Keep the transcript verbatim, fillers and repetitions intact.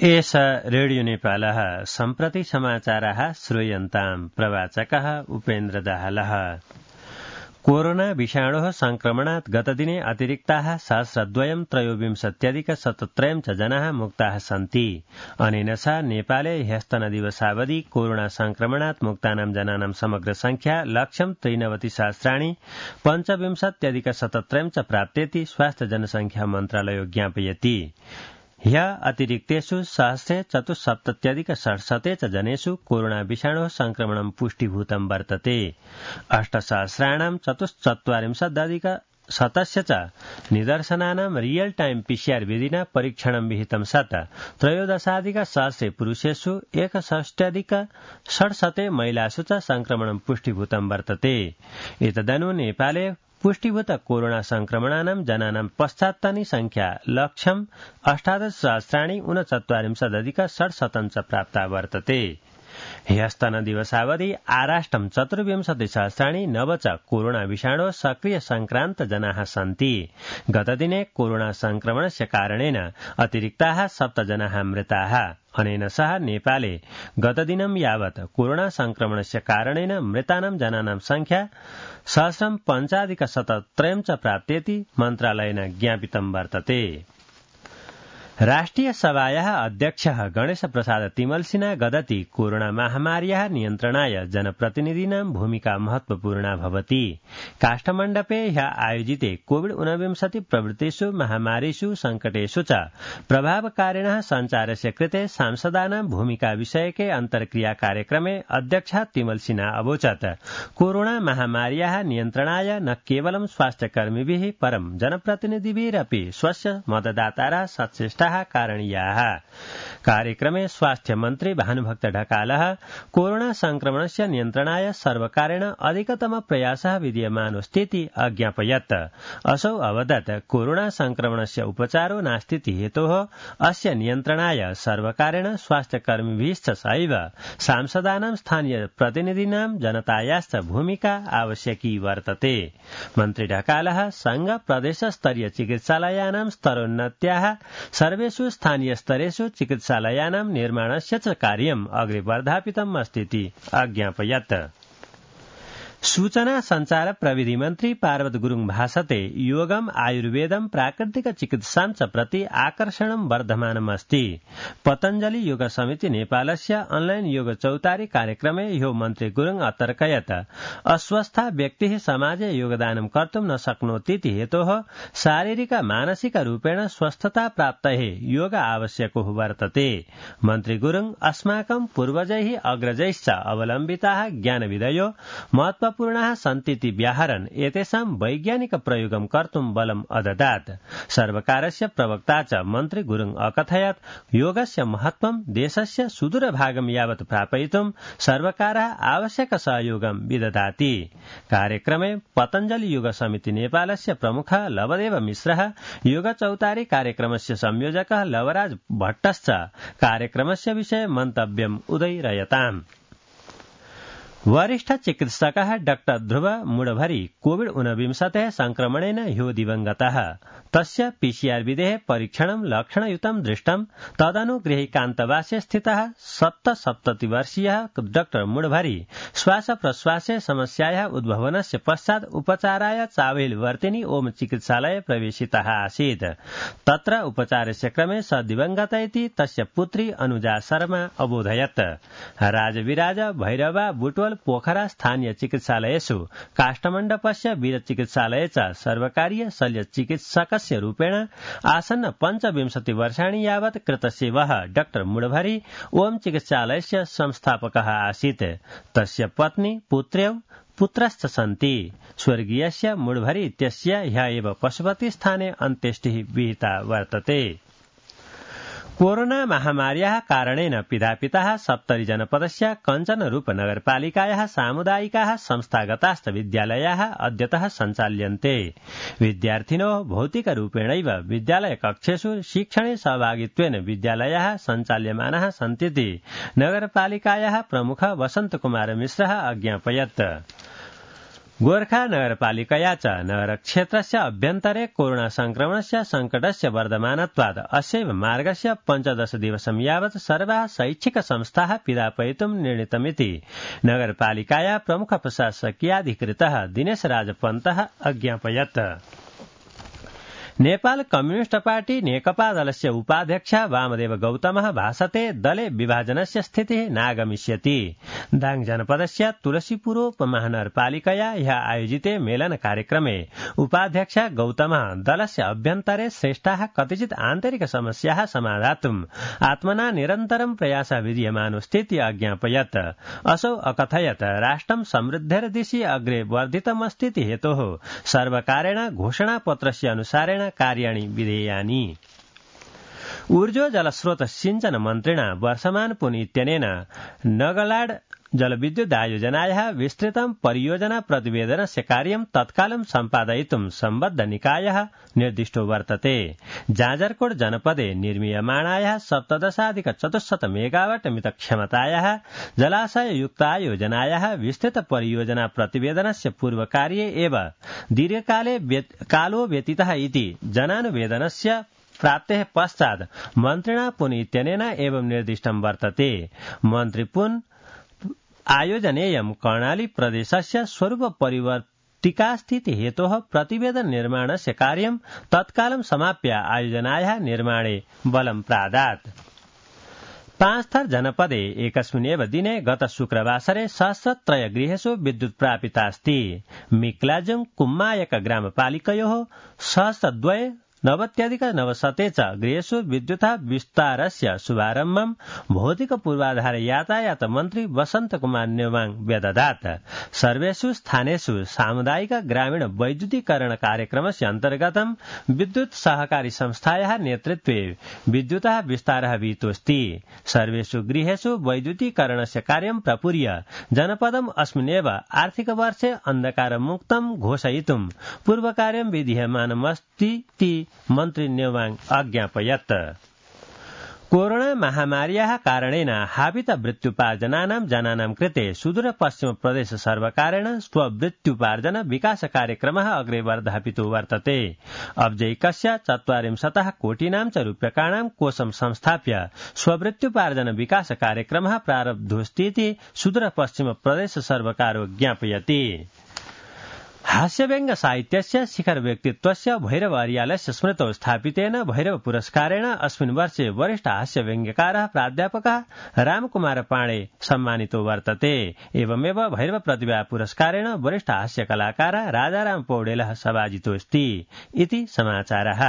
एष रेडियो नेपालः सम्प्रति समाचाराः श्रूयन्ताम्। प्रवाचकः उपेन्द्र दाहालः। कोरोना विषाणोः संक्रमणात् गतदिने अतिरिक्ताः सहस्रद्वयं त्रयोविंशत्यधिक शतत्रयं च जनाः मुक्ताः सन्ति। अनेन सह नेपाले ह्यस्तनदिवसावधि कोरोना संक्रमणात् मुक्तानां जनानां समग्र संख्या लक्षं त्रिनवति सहस्राणि पञ्चविंशत्यधिक शतत्रयं च प्राप्तेति स्वास्थ्य जनसंख्या मन्त्रालयो ज्ञापयति। ह्यः अतिरिक्तेषु सहस्रे चतुस्सप्तत्यधिक षट्शते च जनेषु कोरोना विषाणोः संक्रमणं पुष्टीभूतं वर्तते। अष्टसहस्राणां चतुश्चत्वारिंशदधिक शतस्य च निदर्शनानां रियल टाइम पीसीआर विधिना परीक्षणं विहितं सत् त्रयोदशाधिक सहस्रे पुरुषेषु एकषष्ट्यधिक षट्शते महिलासु च संक्रमणं पुष्टीभूतं वर्तते। एतदनु नेपाले पुष्टीभूत कोरोना संक्रमणानां जनानां पश्चात्तानि संख्या लक्षम् अष्टादश सहस्राणि ऊनचत्वारिंशदधिक षट्शतं च प्राप्ता वर्तते। ह्यस्तन दिवसावधि आराष्ट्रं चतुर्विंशति सहस्राणि नव च कोरोना विषाणो सक्रिय संक्रांत जनाः सन्ति। गतदिने कोरोना संक्रमणस्य कारणेन अतिरिक्ताः सप्त जनाः मृताः। अनेन सह नेपाले गतदिनं यावत् कोरोना संक्रमणस्य कारणेन मृतानां जनानां संख्या सहस्रं पञ्चाधिक शतत्रयं च प्राप्तेति मन्त्रालयेन ज्ञापितं वर्तते। राष्ट्रिय सभायाः अध्यक्षः गणेश प्रसाद तिमल्सिना गदति कोरोना महामार्याः नियन्त्रणाय जनप्रतिनिधीनां भूमिका महत्वपूर्णा भवति। काष्ठमण्डपे ह्यः आयोजिते कोविड ऊनविंशति प्रवृत्तिषु महामारीषु संकटेषु च प्रभावकारिणः सञ्चारस्य कृते सांसदानां भूमिका विषयके अन्तर्क्रिया कार्यक्रमे अध्यक्षः तिमल्सिना अवोचत् कोरोना महामार्याः नियन्त्रणाय न केवलं स्वास्थ्यकर्मिभिः परं जनप्रतिनिधिभिरपि स्वस्य मतदातारः सचेष्टा कारणीयाः। कार्यक्रमे स्वास्थ्य मन्त्री भानुभक्त ढकालः कोरोना संक्रमणस्य नियन्त्रणाय सर्वकारेण अधिकतम प्रयासः विद्यमानोऽस्तीति अज्ञापयत्। असौ अवदत् कोरोना संक्रमणस्य उपचारो नास्तीति हेतोः अस्य नियन्त्रणाय सर्वकारेण स्वास्थ्यकर्मिभिश्च सहैव सांसदानां स्थानीय प्रतिनिधीनां जनतायाश्च भूमिका आवश्यकी वर्तते। मन्त्री ढकालः संघ प्रदेश स्तरीय चिकित्सालयानां स्तरोन्नत्याः सर्वेषु स्थानीय स्तरेषु चिकित्सालयानां निर्माणस्य च कार्यम् अग्रे वर्धापितम् अस्तीति अज्ञापयत्। सूचना संचार प्रविधि मन्त्री पार्वत गुरुङ भाषते योगम आयुर्वेदम प्राकृतिक चिकित्सां च प्रति आकर्षणं वर्धमानम् अस्ति। पतञ्जलि योग समिति नेपालस्य ऑनलाइन योग चौतारी कार्यक्रमे ह्यो मन्त्री गुरुङ अतर्कयत् अस्वस्था व्यक्तिः समाजे योगदानं कर्तुं न शक्नोतीति हेतोः शारीरिक मानसिक रूपेण स्वस्थता प्राप्तये योग आवश्यको वर्तते। मन्त्री गुरुङ अस्माकं पूर्वजैः अग्रजैश्च अवलम्बिताः ज्ञानविधयो महत्व पूर्णाः सन्तीति व्याहरन् एतेषां वैज्ञानिक प्रयोगं कर्तुं बलम् अददात्। सर्वकारस्य प्रवक्ता च मन्त्री गुरुङ अकथयत् योगस्य महत्वं देशस्य सुदूरभागं यावत् प्रापयितुं सर्वकारः आवश्यक सहयोगं विदधाति। कार्यक्रमे पतञ्जलि योग समिति नेपालस्य प्रमुखः लवदेव मिश्रः योग चौतारी कार्यक्रमस्य संयोजकः लवराज भट्टश्च कार्यक्रमस्य विषये मन्तव्यम् उदयरयताम्। वरिष्ठ चिकित्सकः डाक्टर ध्रुव मुडभरी कोविड ऊनविंशतेः संक्रमणेन ह्यो दिवंगतः। तस्य पीसीआर विधेः परीक्षणं लक्षणयुतं दृष्टं। तदनु गृहीकान्तवासे स्थितः सप्तसप्ततिवर्षीयः डाक्टर मुडभरी श्वास प्रश्वासे समस्यायाः उद्भवनस्य पश्चात् उपचाराय चावेलवर्तिनी ओम चिकित्सालये प्रवेशितः आसीत्। तत्र उपचारस्य क्रमे स दिवंगत इति तस्य पुत्री अनुजा शर्मा अबोधयत्। राजविराज भैरवा बुटवल पोखरा स्थानीय चिकित्सालयेषु काष्ठमण्डपस्य वीर चिकित्सालये च सर्वकारीय शल्य चिकित्सकस्य रूपेण आसन्न पञ्चविंशति वर्षाणि यावत् कृतसेवः डाक्टर मुडभरी ओम चिकित्सालयस्य संस्थापकः आसीत्। तस्य पत्नी पुत्र्यौ पुत्रश्च सन्ति। स्वर्गीयस्य मुडभरी इत्यस्य ह्यः एव पशुपतिस्थाने अन्त्येष्टिः विहिता वर्तते। कोरोना महामार्याः कारणेन पिधापिताः सप्तरी जनपदस्य कञ्चनरूप नगरपालिकायाः सामुदायिकाः संस्थागताश्च विद्यालयाः अद्यतः सञ्चाल्यन्ते। विद्यार्थिनो भौतिकरूपेणैव विद्यालयकक्षेषु शिक्षणे सहभागित्वेन विद्यालयाः सञ्चाल्यमानाः सन्तीति नगरपालिकायाः प्रमुखः वसन्तकुमार मिश्रः अज्ञापयत्। गोर्खा नगरपालिकया च नगरक्षेत्रस्य अभ्यन्तरे कोरोना संक्रमणस्य संकटस्य वर्धमानत्वात् अस्यैव मार्गस्य पञ्चदश दिवसं यावत् सर्वाः शैक्षिक संस्थाः पिधापयितुं निर्णीतमिति नगरपालिकाया प्रमुख प्रशासकीयाधिकृतः दिनेश राजपन्तः अज्ञापयत्। नेपाल कम्युनिस्ट पार्टी नेकपा दलस्य उपाध्यक्ष वामदेव गौतमः भाषते दले विभाजनस्य स्थितिः नागमिष्यति। दाङ जनपदस्य तुलसीपुरोपमहानगरपालिकया ह्यः आयोजिते मेलन कार्यक्रमे उपाध्यक्ष गौतमः दलस्य अभ्यन्तरे श्रेष्ठाः कतिचित् आन्तरिक समस्याः समाधातुम् आत्मना निरन्तरं प्रयासः विधीयमानोऽस्तीति अज्ञापयत्। असौ अकथयत् राष्ट्रं समृद्धेर दिशि अग्रे वर्धितमस्तीति हेतोः सर्वकारेण घोषणापत्रस्य अनुसारेण कार्याणि विधेयानि। ऊर्जो जलस्रोत सिंचन मन्त्रिणा वर्षमान पुन इत्यनेन नगलाड जलविद्युदायोजनायाः विस्तृतं परियोजना प्रतिवेदनस्य कार्यं तत्कालं सम्पादयितुं सम्बद्ध निकायः निर्दिष्टो वर्तते। जाजरकोट जनपदे निर्मीयमाणायाः सप्तदशाधिक चतुश्शत मेगावाट मित क्षमतायाः जलाशययुक्तायोजनायाः विस्तृत परियोजना प्रतिवेदनस्य पूर्वकार्ये एव दीर्घकाले कालो व्यतीतः इति जनानुवेदनस्य प्राप्तेः पश्चात् मन्त्रिणा पुन इत्यनेन एवं निर्दिष्टं वर्तते। मन्त्री पुन आयोजनेयं कर्णाली प्रदेशस्य स्वरूप परिवर्तिका स्थिति हेतोः प्रतिवेदन निर्माणस्य कार्यं तत्कालं समाप्य आयोजनायाः निर्माणे बलं प्रादात्। पांचथर जनपदे एकस्मिन्नेव दिने गत शुक्रवासरे सहस्रत्रय गृहेषु विद्युत् प्रापितास्ति। मिक्लाजुङ कुम्मायक ग्रामपालिकयोः सहस्रद्वय नवत्यधिक नवशते च गृहेषु विद्युतः विस्तारस्य शुभारम्भं भौतिक पूर्वाधार यातायात मन्त्री वसन्त कुमार नेवाङ व्यदधात्। सर्वेषु स्थानेषु सामुदायिक ग्रामीण वैद्युतीकरण कार्यक्रमस्य अन्तर्गतं विद्युत सहकारी संस्थायाः नेतृत्वे विद्युतः विस्तारः विहितोऽस्ति। सर्वेषु गृहेषु वैद्युतीकरणस्य कार्यं प्रपूर्य जनपदम् अस्मिन्नेव आर्थिक वर्षे अन्धकारमुक्तं घोषयितुं पूर्वकार्यं विधीयमानमस्तीति मन्त्री नेवाङ अज्ञापयत्। कोरोना महामार्याः कारणेन हावित मृत्युपार्जनानां जनानां कृते सुदूर पश्चिम प्रदेश सर्वकारेण स्वमृत्युपार्जन विकास कार्यक्रमः अग्रे वर्धापितो वर्तते। अब्जैकस्य चत्वारिंशतः कोटीनां च रूप्यकाणां कोषं संस्थाप्य स्वमृत्युपार्जन विकास कार्यक्रमः प्रारब्धोऽस्तीति सुदूर पश्चिम प्रदेश सर्वकारो ज्ञापयति। हास्यव्यङ्ग साहित्यस्य शिखर व्यक्तित्वस्य भैरव अर्यालस्य स्मृतौ स्थापितेन भैरव पुरस्कारेण अस्मिन् वर्षे वरिष्ठ हास्यव्यङ्ग्यकारः प्राध्यापकः रामकुमार पाणे सम्मानितो वर्तते। एवमेव भैरव प्रतिभा पुरस्कारेण वरिष्ठ हास्यकलाकारः राजाराम पौडेलः सभाजितोऽस्ति इति समाचारः।